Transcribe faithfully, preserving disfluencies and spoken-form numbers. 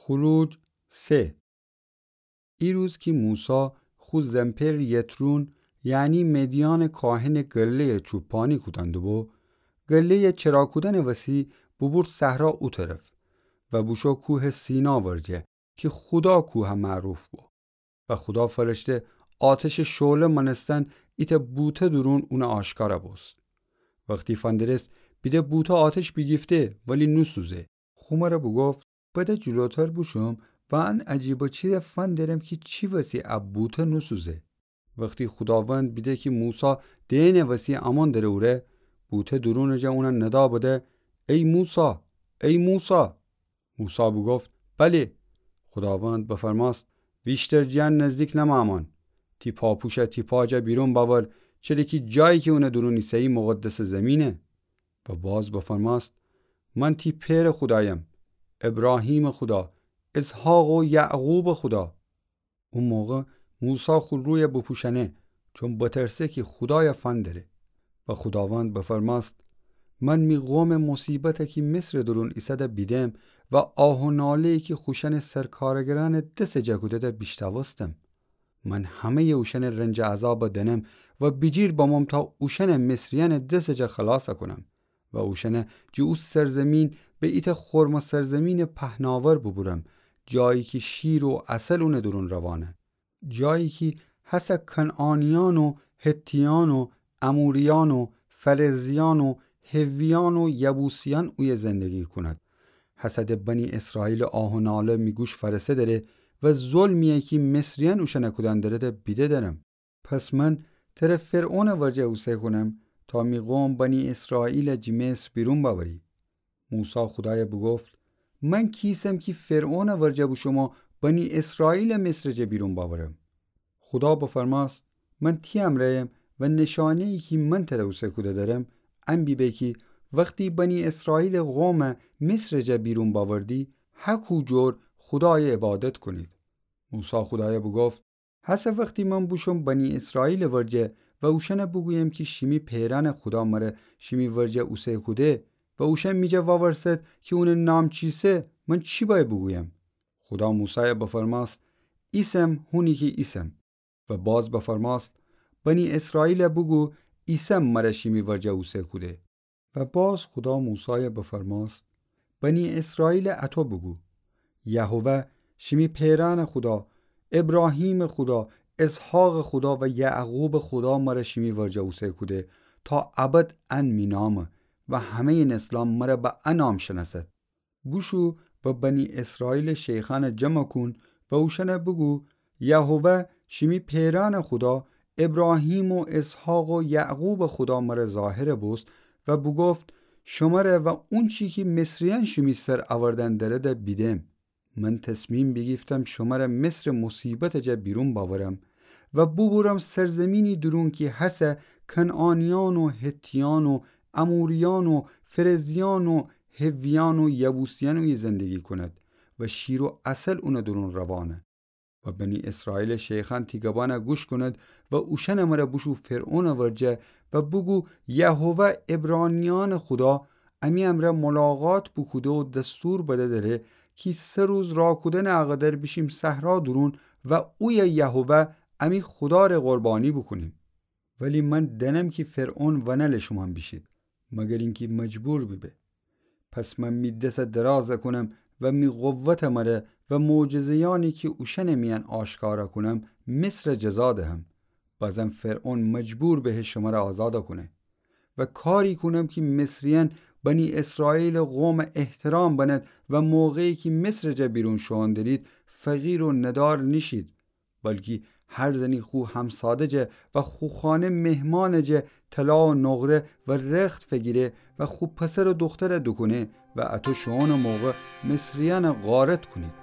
خروج سه. ایروز کی موسی خو زن‌پئر یترون، یعنی مدیانٚ کاهنٚ گله‌یَ چوپانی کودن دوبو، گله‌یَ چرا کودنٚ وسی بوبورد صحرا او طرف و بوشو کوهٚ سینا ورجه کی خودا کوه معروف بو. و خودا فرشته آتشٚ شعله مانستن ایتأ بوته دورون اونَ آشکارَ بوست. وختی فندرست بیده بوته آتش بیگیفته ولی نوسوزه. خو مرَ بوگفت: بده جلوتر بوشوم و ان عجیبه چیزَ فندرم کی چی وسی ا بوته نوسوزه. وختی خوداوند بیده کی موسی دئنٚ وسی امون دره اوره، بوته دورونٚ جا اونَ ندا بده: ای موسی، ای موسی! موسی بوگفت: بلی. خوداوند بفرماست: ویشتر جٚه ان نزدیک نمأمان. تی پاپوشَ تی پا جا بیرون بأور، چره کی جایی کی اونٚ دورون ایسه‌یی مقدسٚ زیمینه. و باز بفرماست: من تی پئرٚ خودایم، ابراهیمٚ خودا، اسحاق و یعقوبٚ خودا. او موقع موسی خو رویَ بپوشأنه، چون بترسه کی خودایَ فندره. و خوداوند بفرماست: من می قومٚ مصیبتَ کی مصرٚ دورون ایسه‌ده بیدم و آه و ناله‌یی کی خوشأنٚ سرکارگرأنٚ دسٚ جا کوده‌ده بیشتاوستم. من همه‌یٚ اوشأنٚ رنج و عذابَ دأنم و بیجیر بموم تا اوشأنَ مصریأنٚ دسٚ جا خلاصَ کونم و اوشأنَ جٚه او سرزیمین به ایتأ خرمٚ سرزیمینٚ پهناور ببرم، جایی کی شیر و عسل اونٚ دورون روانه. جایی کی هسه کنعانیأن و حتیأن و اموریأن و فرزیأن و حویأن و یبوسیأن اویه زندگی کونید. هسه د بنی اسرائیلٚ آه و ناله می گوش فأرسه دره و ظلمی‌یی کی مصریأن اوشأنَ کودن دره‌ده بیده درم. پس من تره فرعونٚ ورجه اوسه کونم تا می قوم بنی اسرائیلَ جٚه مصر بیرون بأوری. موسی خودایَ بوگفت: من کیسم کی فرعونٚ ورجه بوشوم و بنی اسرائیلَ مصرٚ جا بیرون بأورم؟ خودا بفرماست: من تی امرأیم و نشانه‌یی کی من تره اوسه کوده درم، ان بیبه کی وختی بنی اسرائیلٚ قومَ مصرٚ جا بیرون بأوردی، هکو جور خودایَ عبادت کونید. موسی خودایَ بوگفت: هسه وختی من بوشوم بنی اسرائیلٚ ورجه و اوشأنَ بوگویم کی شیمی پئرأنٚ خودا مره شیمی ورجه اوسه کوده و اوشأن می جا وأورسد کی اونٚ نام چیسه، من چی بأید بوگویم؟ خودا موسایَ بفرماست: ایسم هونی کی ایسم. و باز بفرماست: بنی اسرائیلَ بوگو ایسم مره شیمی ورجه اوسه کوده. و باز خودا موسایَ بفرماست: بنی اسرائیلَ اطو بوگو: یهوه، شیمی پئرأنٚ خودا، ابراهیمٚ خودا، اسحاقٚ خودا و یعقوبٚ خودا مره شیمی ورجه اوسه کوده، تا ابد ان می نامه و همه‌یٚ نسلأن مره به ا نام شنأسد. بوشو و بنی اسرائیلٚ شیخأنَ جمع کون و اوشأنَ بوگو: یهوه، شیمی پئرأنٚ خودا، ابراهیم و اسحاق و یعقوبٚ خودا مره ظاهر بوست و بوگفت: شمره و اونچی کی مصریأن شیمی سر اوردن دره‌ده بیدم. من تصمیم بیگیفتم شمره مصرٚ مصیبتٚ جا بیرون بأورم و بوبورم سرزیمینی دورون کی هسه کنعانیأن و حتیأن و اموریأن و فرزیأن و حویأن و یبوسیأن اویه زندگی کونید و شیر و عسل اونٚ دورون روانه. و بنی اسرائیلٚ شیخأن تی گبأنَ گوش کونید و اوشأنٚ مره بوشو فرعونٚ ورجه و بوگو: یهوه عبرانیأنٚ خودا امی امرأ ملاقات بوکوده و دستور بده دره کی سه روز راه کودنٚ اقدر بیشیم صحرا دورون و اویه یهوه امی خوداره قربانی بوکونیم. ولی من دأنم کی فرعون ونله شومأن بیشید، مگر اینکی مجبور بیبه. پس من می دسَ درازَ کونم و می قوتٚ مره و معجزه‌یأنی کی اوشأنٚ میأن آشکارَ کونم، مصرَ جزا دهم. بازم فرعون مجبور بهه شمره آزادَ کونه. و کاری کونم کی مصریأن بنی اسرائیلٚ قومَ احترام بنید و موقعی کی مصرٚ جا بیرون شوئون درید، فقیر و ندار نیشید. بلکی هر زنی خو همساده جا و خو خانه مهمانٚ جا طلا و نقره و رخت فگیره و خو پسر و دخترَ دوکونه و اطو شوئونٚ موقع مصریأنَ غارت کونید.